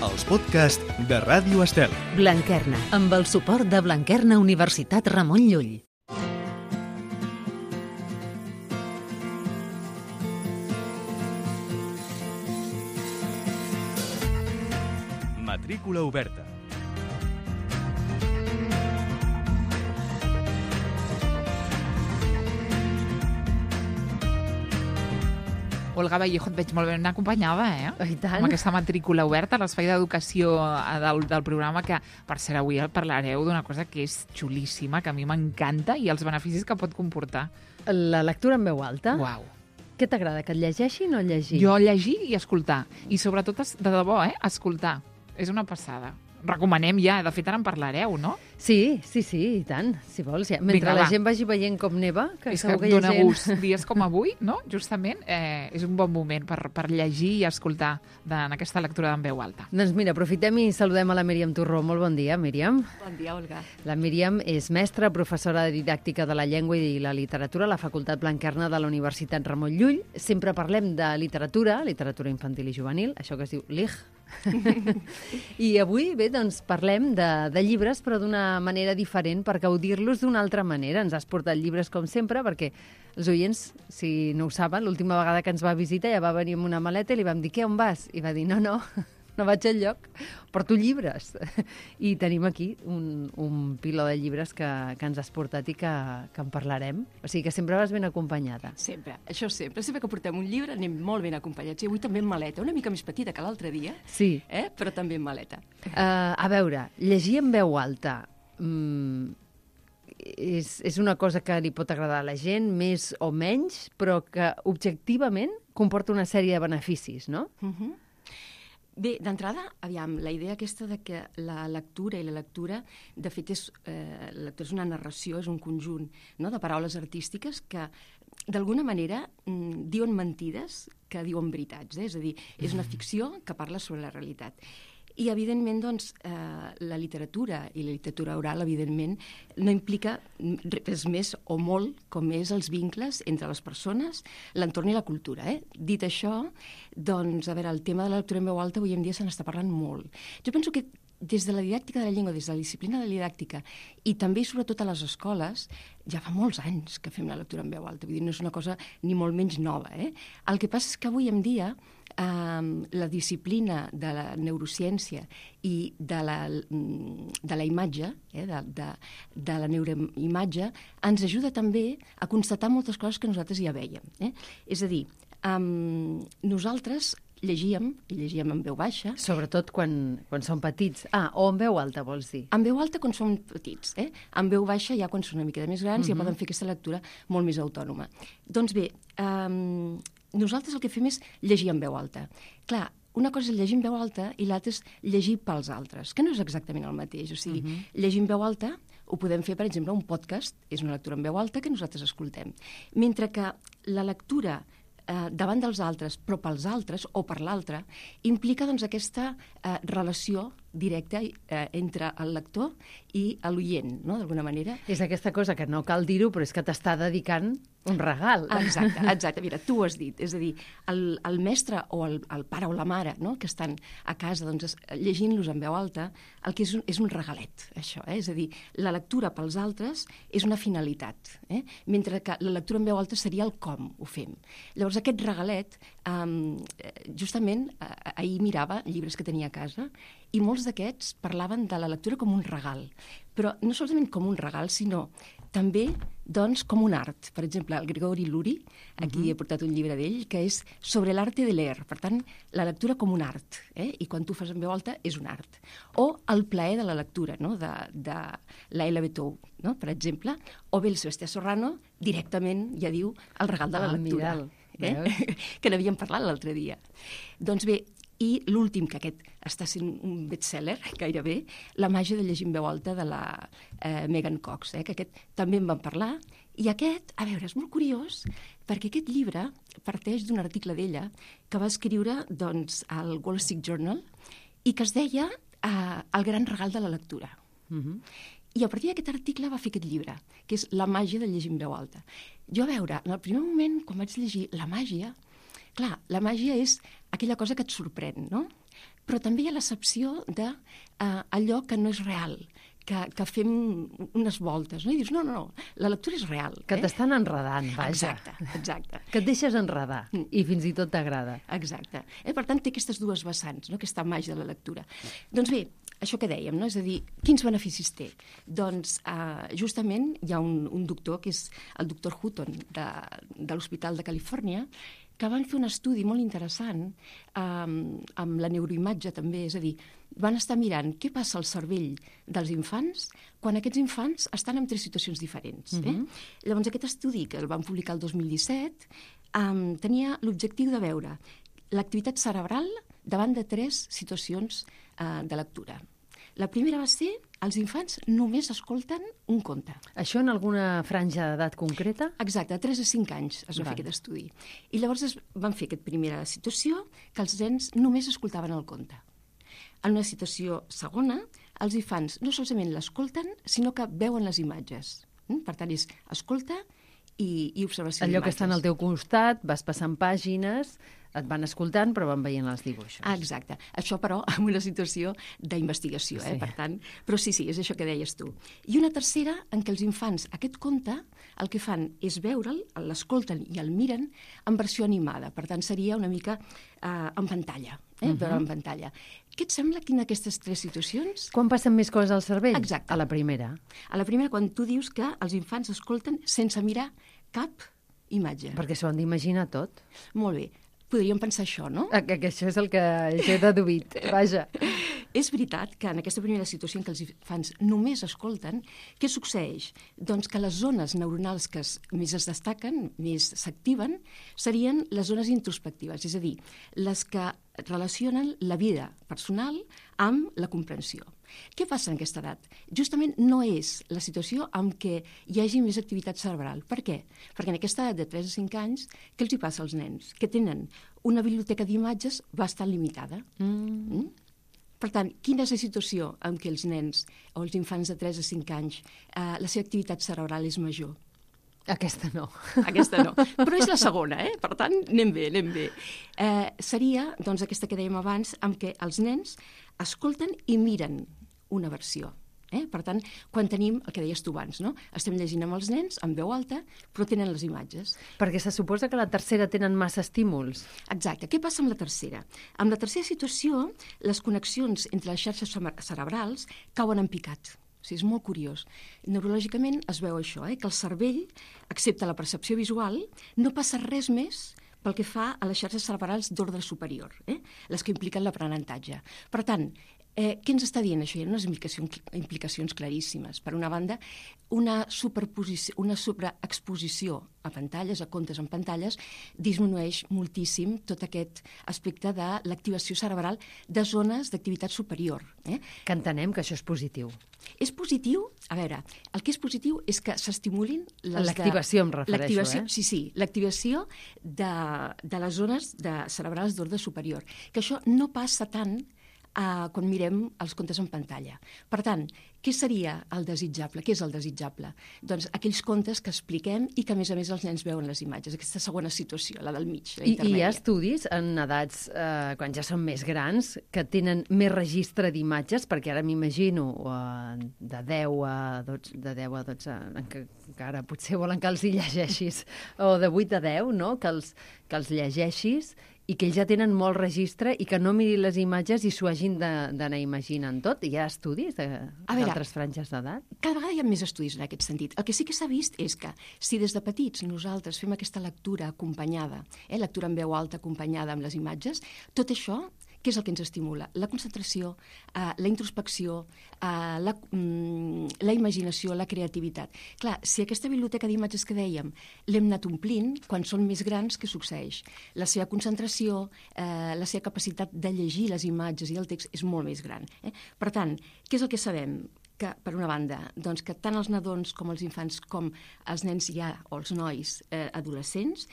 els podcasts de Ràdio Estel. Blanquerna, amb el suport de Blanquerna Universitat Ramon Llull. Matrícula oberta. Olga Vallejo, et veig molt ben acompanyada, I tant. Amb aquesta matrícula oberta, l'espai d'educació del programa, que, per cert, avui parlareu d'una cosa que és xulíssima, que a mi m'encanta, i els beneficis que pot comportar. La lectura en veu alta. Uau. Què t'agrada, que et llegeixin o llegir? Jo llegir i escoltar. I sobretot, de debò, escoltar. És una passada. Recomanem ja, de fet ara en parlareu, no? Sí, i tant, si vols. Ja. Mentre Vinga, la va. gent vagi veient com neva, que És segur que que hi ha dona gent... gust. Dies com avui, no? Justament, és un bon moment per llegir i escoltar en aquesta lectura en veu alta. Doncs mira, aprofitem i saludem a la Míriam Torró. Molt bon dia, Míriam. Bon dia, Olga. La Míriam és mestra, professora de didàctica de la llengua i la literatura a la Facultat Blanquerna de la Universitat Ramon Llull. Sempre parlem de literatura infantil i juvenil, això que es diu LIG. I avui, bé, doncs parlem de llibres, però d'una manera diferent, per gaudir-los d'una altra manera. Ens has portat llibres, com sempre, perquè els oients, si no ho saben, l'última vegada que ens va visitar ja va venir amb una maleta i li vam dir, què, on vas? I va dir, no vaig enlloc, porto llibres. I tenim aquí un piló de llibres que ens has portat i que en parlarem. O sigui que sempre vas ben acompanyada. Sempre, això sempre. Sempre que portem un llibre anem molt ben acompanyats. I avui també en maleta, una mica més petita que l'altre dia, Sí. Però també en maleta. A veure, llegir en veu alta és una cosa que li pot agradar a la gent, més o menys, però que objectivament comporta una sèrie de beneficis, no? Bé, d'entrada, aviam, la idea aquesta de que la lectura, de fet, la lectura és una narració, és un conjunt, no?, de paraules artístiques que, d'alguna manera, diuen mentides que diuen veritats. És a dir, és una ficció que parla sobre la realitat. I, evidentment, doncs, la literatura i la literatura oral, evidentment, no implica res més o molt com és els vincles entre les persones, l'entorn i la cultura. Dit això, doncs, a veure, el tema de la lectura en veu alta avui en dia se n'està parlant molt. Jo penso que des de la didàctica de la llengua, des de la disciplina de la didàctica i també i sobretot a les escoles, ja fa molts anys que fem la lectura en veu alta. Vull dir, no és una cosa ni molt menys nova. El que passa és que avui en dia la disciplina de la neurociència i de la imatge, de la neuroimatge, ens ajuda també a constatar moltes coses que nosaltres ja vèiem. És a dir, nosaltres llegíem en veu baixa. Sobretot quan són petits. O en veu alta, vols dir? En veu alta quan són petits. En veu baixa ja quan són una mica de més grans ja poden fer aquesta lectura molt més autònoma. Doncs bé, nosaltres el que fem és llegir en veu alta. Clar, una cosa és llegir en veu alta i l'altra és llegir pels altres, que no és exactament el mateix. O sigui, llegir en veu alta ho podem fer, per exemple, un podcast, és una lectura en veu alta que nosaltres escoltem. Mentre que la lectura davant dels altres, però pels altres o per l'altre, implica doncs, aquesta relació directa entre el lector i l'oient, no?, d'alguna manera. És aquesta cosa que no cal dir-ho, però és que t'està dedicant un regal. Exacte. Mira, tu ho has dit. És a dir, el mestre o el pare o la mare, no?, que estan a casa doncs, llegint-los en veu alta, el que és un regalet, això. És a dir, la lectura pels altres és una finalitat, mentre que la lectura en veu alta seria el com ho fem. Llavors, aquest regalet, justament, ahir mirava llibres que tenia a casa i molts d'aquests parlaven de la lectura com un regal, però no solament com un regal, sinó també doncs, com un art. Per exemple, el Gregori Luri, aquí he portat un llibre d'ell, que és sobre l'arte de leer. Per tant, la lectura com un art, i quan tu fas en veu alta és un art. O el plaer de la lectura, no?, de la L.B. Tou, no?, per exemple, o bé el Sebastià Serrano directament ja diu el regal de la lectura, que n'havíem parlat l'altre dia. Doncs bé, i l'últim, que aquest està sent un bestseller, gairebé, La màgia de llegir en veu alta, de la Megan Cox, que aquest també en vam parlar. I aquest, a veure, és molt curiós, perquè aquest llibre parteix d'un article d'ella que va escriure doncs, al Wall Street Journal i que es deia El gran regal de la lectura. I a partir d'aquest article va fer aquest llibre, que és La màgia de llegir en veu alta. Jo, a veure, en el primer moment, quan vaig llegir la màgia, clar, la màgia és aquella cosa que et sorprèn, no? però també hi ha l'accepció d'allò que no és real, que fem unes voltes, no? I dius, no, la lectura és real. Que t'estan enredant, vaja. Exacte. Que et deixes enredar i fins i tot t'agrada. Exacte. Per tant, té aquestes dues vessants, no? Aquesta màgia de la lectura. Doncs bé, això que dèiem, no? És a dir, quins beneficis té? Doncs justament hi ha un doctor, que és el doctor Hutton, de l'Hospital de Califòrnia, que van fer un estudi molt interessant amb la neuroimatge també, és a dir, van estar mirant què passa al cervell dels infants quan aquests infants estan en 3 situacions diferents. Llavors, aquest estudi, que el van publicar el 2017, tenia l'objectiu de veure l'activitat cerebral davant de 3 situacions de lectura. La primera va ser, els infants només escolten un conte. Això en alguna franja d'edat concreta? Exacte, de 3 a 5 anys es va fer aquest estudi. I llavors van fer aquesta primera situació, que els nens només escoltaven el conte. En una situació segona, els infants no solament l'escolten, sinó que veuen les imatges. Per tant, és escolta i observació d'imatges. Allò que estan al teu costat, vas passant pàgines, et van escoltant, però van veient els dibuixos. Exacte. Això, però, en una situació d'investigació, per tant. Però sí, és això que deies tu. I una tercera, en què els infants, aquest conte, el que fan és veure'l, l'escolten i el miren en versió animada. Per tant, seria una mica en pantalla, veure'l en pantalla. Què et sembla quina d'aquestes 3 situacions? Quan passen més coses al cervell? Exacte. A la primera. A la primera, quan tu dius que els infants escolten sense mirar cap imatge. Perquè s'ho han d'imaginar tot. Molt bé. Podríem pensar això, no? Que això és el que jo he deduït, vaja. És veritat que en aquesta primera situació en què els infants només escolten, què succeeix? Doncs que les zones neuronals que més es destaquen, més s'activen, serien les zones introspectives, és a dir, les que relacionen la vida personal amb la comprensió. Què passa en aquesta edat? Justament no és la situació en què hi hagi més activitat cerebral. Per què? Perquè en aquesta edat de 3 a 5 anys, què els hi passa als nens? Que tenen una biblioteca d'imatges bastant limitada. Per tant, quina és la situació en què els nens o els infants de 3 a 5 anys la seva activitat cerebral és major? Aquesta no. Aquesta no. Però és la segona, Per tant, anem bé. Seria, doncs, aquesta que dèiem abans, en què els nens escolten i miren una versió. Per tant, quan tenim, el que deies tu abans, no? Estem llegint amb els nens, en veu alta, però tenen les imatges. Perquè se suposa que la tercera tenen massa estímuls. Exacte. Què passa amb la tercera? Amb la tercera situació, les connexions entre les xarxes cerebrals cauen en picat. O sigui, és molt curiós. Neurològicament es veu això, que el cervell, excepte la percepció visual, no passa res més pel que fa a les xarxes cerebrals d'ordre superior, les que impliquen l'aprenentatge. Per tant, què ens està dient això? Hi ha unes implicacions claríssimes. Per una banda, una sobreexposició a pantalles, a contes en pantalles, disminueix moltíssim tot aquest aspecte de l'activació cerebral de zones d'activitat superior. Que entenem que això és positiu. És positiu? A veure, el que és positiu és que s'estimulin l'activació, em refereixo, Sí, l'activació de les zones cerebrals d'ordre superior. Que això no passa tant quan mirem els contes en pantalla. Per tant, què seria el desitjable? Què és el desitjable? Doncs aquells contes que expliquem i que, a més els nens veuen les imatges. Aquesta segona situació, la del mig, la intermèdia. I hi ha estudis en edats, quan ja són més grans, que tenen més registre d'imatges, perquè ara m'imagino de 10 a 12, que ara potser volen que els hi llegeixis, o de 8 a 10, no? Que els llegeixis i que ells ja tenen molt registre i que no mirin les imatges i s'ho hagin d'anar imaginant tot. Hi ha estudis d'altres franges d'edat? Cada vegada hi ha més estudis en aquest sentit. El que sí que s'ha vist és que si des de petits nosaltres fem aquesta lectura acompanyada, lectura en veu alta acompanyada amb les imatges, tot això, què és el que ens estimula? La concentració, la introspecció, la imaginació, la creativitat. Clar, si aquesta biblioteca d'imatges que dèiem l'hem anat omplint, quan són més grans, què succeeix? La seva concentració, la seva capacitat de llegir les imatges i el text és molt més gran. Per tant, què és el que sabem? Que, per una banda, doncs que tant els nadons com els infants com els nens o els nois adolescents,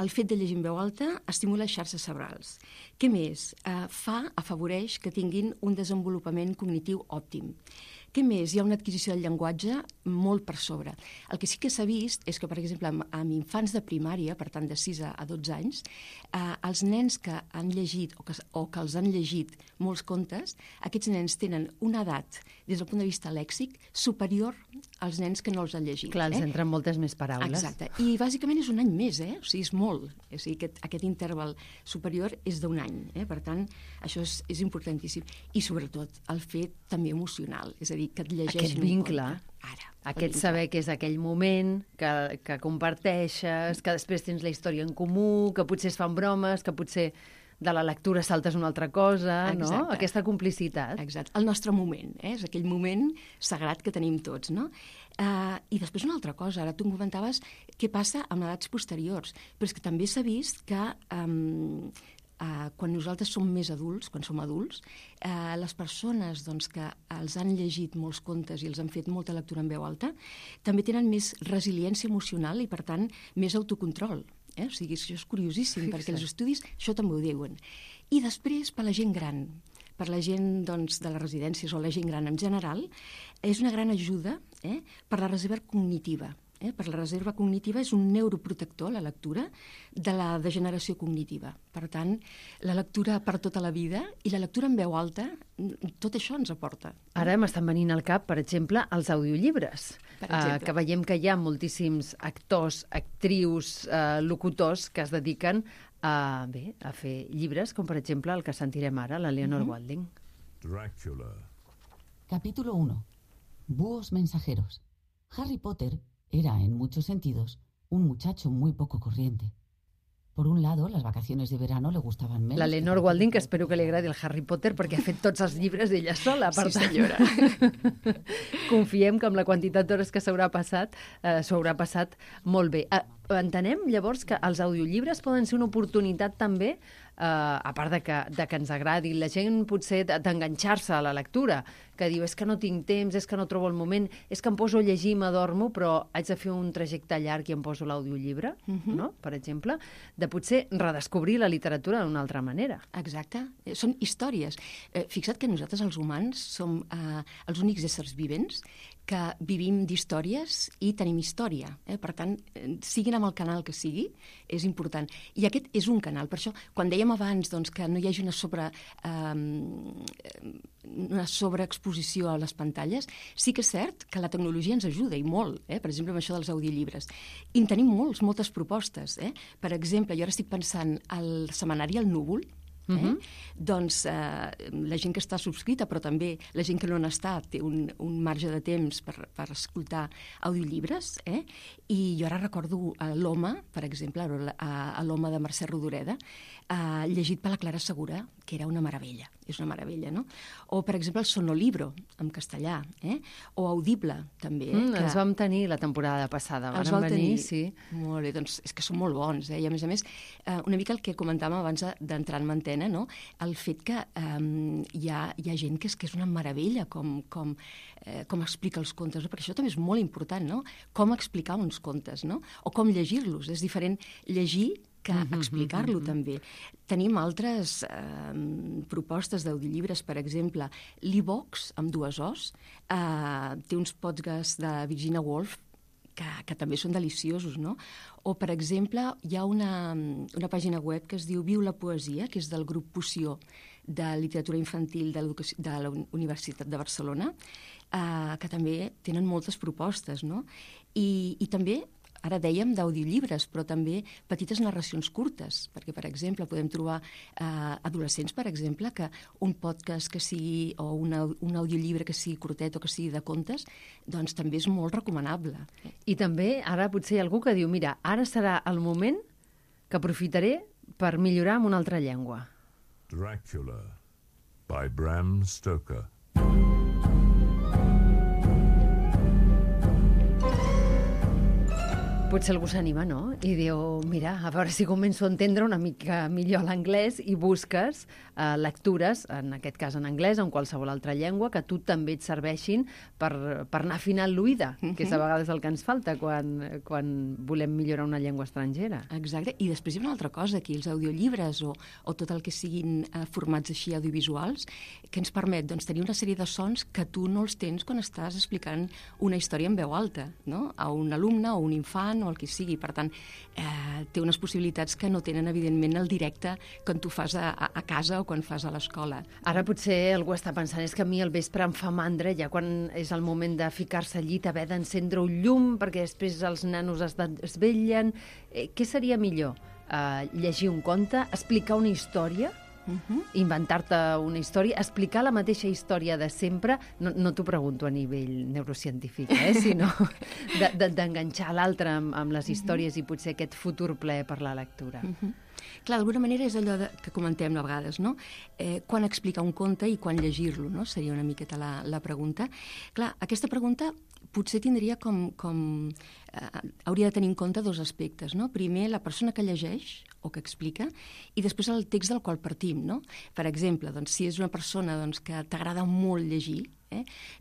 el fet de llegir en veu alta estimula les xarxes cerebrals. Què més? Afavoreix que tinguin un desenvolupament cognitiu òptim. Què més? Hi ha una adquisició del llenguatge molt per sobre. El que sí que s'ha vist és que, per exemple, amb infants de primària, per tant de 6 a 12 anys, els nens que han llegit o que els han llegit molts contes, aquests nens tenen una edat, des del punt de vista lèxic, superior als nens que no els han llegit. Clar, els entren moltes més paraules. Exacte. I bàsicament és un any més, o sigui, és molt. O sigui, aquest interval superior és d'un any. Per tant, això és importantíssim. I sobretot el fet també emocional, és a dir, que et llegeixin aquest vincle, aquest saber que és aquell moment que comparteixes, que després tens la història en comú, que potser es fan bromes, que potser de la lectura saltes una altra cosa, no? Aquesta complicitat. Exacte. El nostre moment, és aquell moment sagrat que tenim tots, no? I després una altra cosa, ara tu em comentaves què passa amb edats posteriors, però és que també s'ha vist que quan nosaltres som més adults, quan som adults, les persones que els han llegit molts contes i els han fet molta lectura en veu alta, també tenen més resiliència emocional i, per tant, més autocontrol. O sigui, això és curiosíssim, perquè els estudis això també ho diuen. I després, per la gent gran, per la gent de les residències o la gent gran en general, és una gran ajuda per la reserva cognitiva. Per la reserva cognitiva és un neuroprotector, la lectura, de la degeneració cognitiva. Per tant, la lectura per tota la vida i la lectura en veu alta, tot això ens aporta. Ara m'estan venint al cap, per exemple, els audiollibres, que veiem que hi ha moltíssims actors, actrius, locutors que es dediquen a fer llibres, com per exemple el que sentirem ara, la Leonor Walding. Drácula. Capítulo 1. Búhos mensajeros. Harry Potter era, en muchos sentidos, un muchacho muy poco corriente. Por un lado, las vacaciones de verano le gustaven menos. La Leonor Walding, que espero que li agradi el Harry Potter, perquè ha fet tots els llibres d'ella sola. Sí, senyora. Confiem que amb la quantitat d'hores que s'ho haurà passat molt bé. Entenem, llavors, que els audiollibres poden ser una oportunitat també, a part de que ens agradi, la gent potser d'enganxar-se a la lectura, que diu, és que no tinc temps, és que no trobo el moment, és que em poso a llegir i m'adormo, però haig de fer un trajecte llarg i em poso l'audiollibre, no? Per exemple, de potser redescobrir la literatura d'una altra manera. Exacte. Són històries. Fixa't que nosaltres, els humans, som els únics éssers vivents que vivim d'històries i tenim història. Per tant, siguin amb el canal que sigui, és important. I aquest és un canal. Per això, quan dèiem abans que no hi hagi una sobreexposició a les pantalles, sí que és cert que la tecnologia ens ajuda, i molt, per exemple, amb això dels audiollibres. I en tenim moltes propostes. Per exemple, jo ara estic pensant al setmanari El Núvol, doncs la gent que està subscrita, però també la gent que no n'està, té un marge de temps per escoltar audiollibres, i jo ara recordo l'Home, per exemple, l'Home de Mercè Rodoreda, llegit per la Clara Segura, que era una meravella, és una meravella, no? O, per exemple, el Sonolibro, en castellà, o Audible, també. Els vam tenir la temporada passada, van venir, sí. Molt bé, doncs és que són molt bons, i a més, una mica el que comentàvem abans d'entrar en antena, no? El fet que hi ha gent que és una meravella com explica els contes, perquè això també és molt important, no? Com explicar uns contes, no? O com llegir-los. És diferent llegir que explicar-lo també. Tenim altres propostes d'audiollibres, per exemple, l'E-Box, amb 2 Os, té uns podcasts de Virginia Woolf que també són deliciosos, no? O, per exemple, hi ha una pàgina web que es diu Viu la Poesia, que és del grup Poció de literatura infantil de la Universitat de Barcelona, que també tenen moltes propostes, no? I també, ara dèiem d'audiollibres, però també petites narracions curtes, perquè, per exemple, podem trobar adolescents, per exemple, que un podcast que sigui, o un audiollibre que sigui curtet o que sigui de contes, doncs també és molt recomanable. I també, ara potser hi ha algú que diu, mira, ara serà el moment que aprofitaré per millorar en una altra llengua. Dracula, by Bram Stoker. Potser algú s'anima, no? I diu, mira, a veure si començo a entendre una mica millor l'anglès i busques lectures, en aquest cas en anglès o en qualsevol altra llengua, que a tu també et serveixin per anar afinant l'oïda, que és a vegades el que ens falta quan volem millorar una llengua estrangera. Exacte, i després hi ha una altra cosa aquí, els audiollibres o tot el que siguin formats així audiovisuals, que ens permet tenir una sèrie de sons que tu no els tens quan estàs explicant una història en veu alta, no? A un alumne o un infant o el que sigui. Per tant, té unes possibilitats que no tenen, evidentment, el directe quan tu fas a casa o quan fas a l'escola. Ara potser algú està pensant, és que a mi al vespre em fa mandra, ja quan és el moment de ficar-se al llit, haver d'encendre un llum, perquè després els nanos es desvetllen. Què seria millor? Llegir un conte, explicar una història, inventar-te una història, explicar la mateixa història de sempre, no t'ho pregunto a nivell neurocientífic, sinó d'enganxar l'altre amb les històries i potser aquest futur plaer per la lectura. Clar, d'alguna manera és allò que comentem a vegades, no? Quan explicar un conte i quan llegir-lo, no? Seria una miqueta la pregunta. Clar, aquesta pregunta potser tindria hauria de tenir en compte dos aspectes, no? Primer, la persona que llegeix o que explica, i després el text del qual partim, no? Per exemple, si és una persona que t'agrada molt llegir,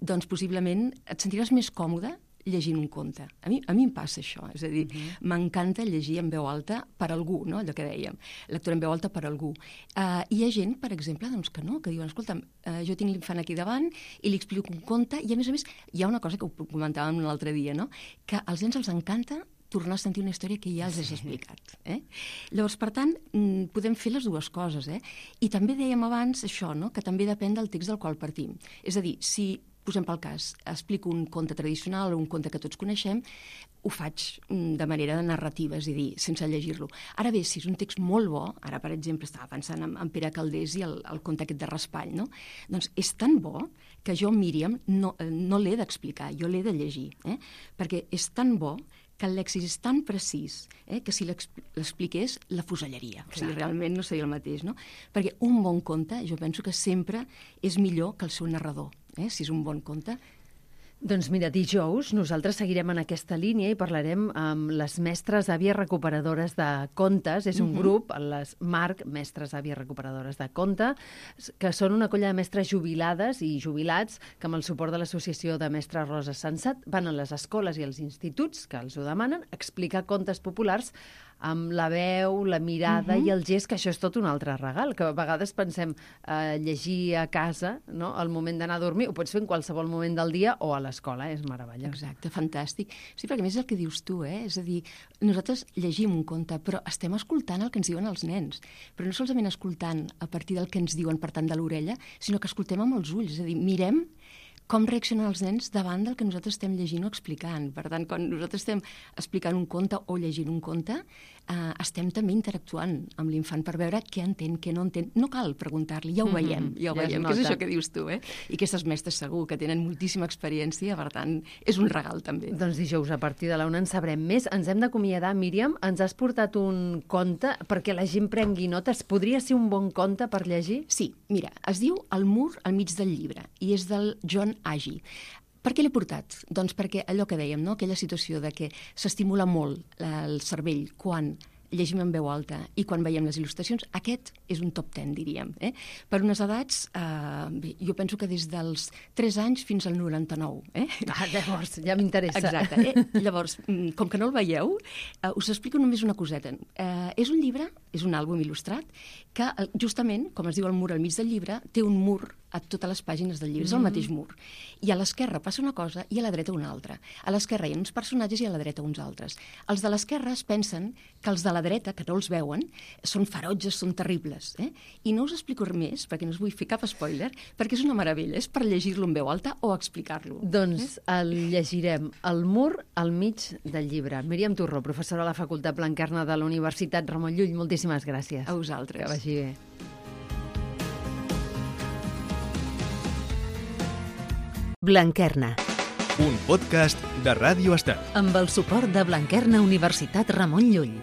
doncs possiblement et sentiràs més còmode llegint un conte. A mi em passa això, és a dir, m'encanta llegir en veu alta per algú, no? Allò que dèiem, lectura en veu alta per algú. Hi ha gent, per exemple, que no, que diuen, escolta, jo tinc l'infant aquí davant i li explico un conte, i a més, hi ha una cosa que ho comentàvem l'altre dia, no? Que als nens els encanta tornar a sentir una història que ja els has explicat. Llavors, per tant, podem fer les dues coses. I també dèiem abans això, no? Que també depèn del text del qual partim. És a dir, si posem pel cas, explico un conte tradicional o un conte que tots coneixem, ho faig de manera narrativa, és a dir, sense llegir-lo. Ara bé, si és un text molt bo, ara, per exemple, estava pensant en Pere Calders i el conte aquest de Raspall, no? Doncs és tan bo que jo, Míriam, no l'he d'explicar, jo l'he de llegir, perquè és tan bo que el lèxic és tan precís que si l'expliqués la fusellaria. O sigui, realment no seria el mateix, no? Perquè un bon conte, jo penso que sempre és millor que el seu narrador, si és un bon conte. Doncs mira, dijous nosaltres seguirem en aquesta línia i parlarem amb les mestres àvies recuperadores de contes. És un grup, les MARC, Mestres Àvies Recuperadores de Conte, que són una colla de mestres jubilades i jubilats que amb el suport de l'Associació de Mestres Rosa Sensat van a les escoles i als instituts que els ho demanen explicar contes populars amb la veu, la mirada i el gest, que això és tot un altre regal, que a vegades pensem llegir a casa, no? Al moment d'anar a dormir, ho pots fer en qualsevol moment del dia o a l'escola, és meravellós. Exacte, fantàstic. Sí, perquè a més és el que dius tu, és a dir, nosaltres llegim un conte, però estem escoltant el que ens diuen els nens, però no solament escoltant a partir del que ens diuen per tant de l'orella, sinó que escoltem amb els ulls, és a dir, mirem com reaccionen els nens davant del que nosaltres estem llegint o explicant. Per tant, quan nosaltres estem explicant un conte o llegint un conte, estem també interactuant amb l'infant per veure què entén, què no entén. No cal preguntar-li, ja ho veiem, que és això que dius tu, I aquestes mestres segur que tenen moltíssima experiència, per tant, és un regal també. Doncs dijous, a partir de la 1 en sabrem més. Ens hem d'acomiadar, Míriam. Ens has portat un conte perquè la gent prengui notes. Podria ser un bon conte per llegir? Sí, mira, es diu El mur al mig del llibre i és del John Agee. Per què l'he portat? Doncs perquè allò que dèiem, no? Aquella situació de que s'estimula molt el cervell quan llegim en veu alta i quan veiem les il·lustracions, aquest és un top 10, diríem. Per unes edats, jo penso que des dels 3 anys fins al 99. Llavors, ja m'interessa. Exacte. Llavors, com que no el veieu, us explico només una coseta. És un llibre, és un àlbum il·lustrat, que justament, com es diu el mur al mig del llibre, té un mur a totes les pàgines del llibre, és el mateix mur. I a l'esquerra passa una cosa i a la dreta una altra. A l'esquerra hi ha uns personatges i a la dreta uns altres. Els de l'esquerra es pensen que els de la dreta, que no els veuen, són ferotges, són terribles. I no us explico més, perquè no us vull fer cap spoiler, perquè és una meravella, és per llegir-lo en veu alta o explicar-lo. Doncs el llegirem, El mur al mig del llibre. Míriam Torró, professora a la Facultat Blanquerna de la Universitat Ramon Llull, moltíssimes gràcies. A vosaltres. Que vagi bé. Blanquerna, un podcast de Ràdio Estel. amb el suport de Blanquerna Universitat Ramon Llull.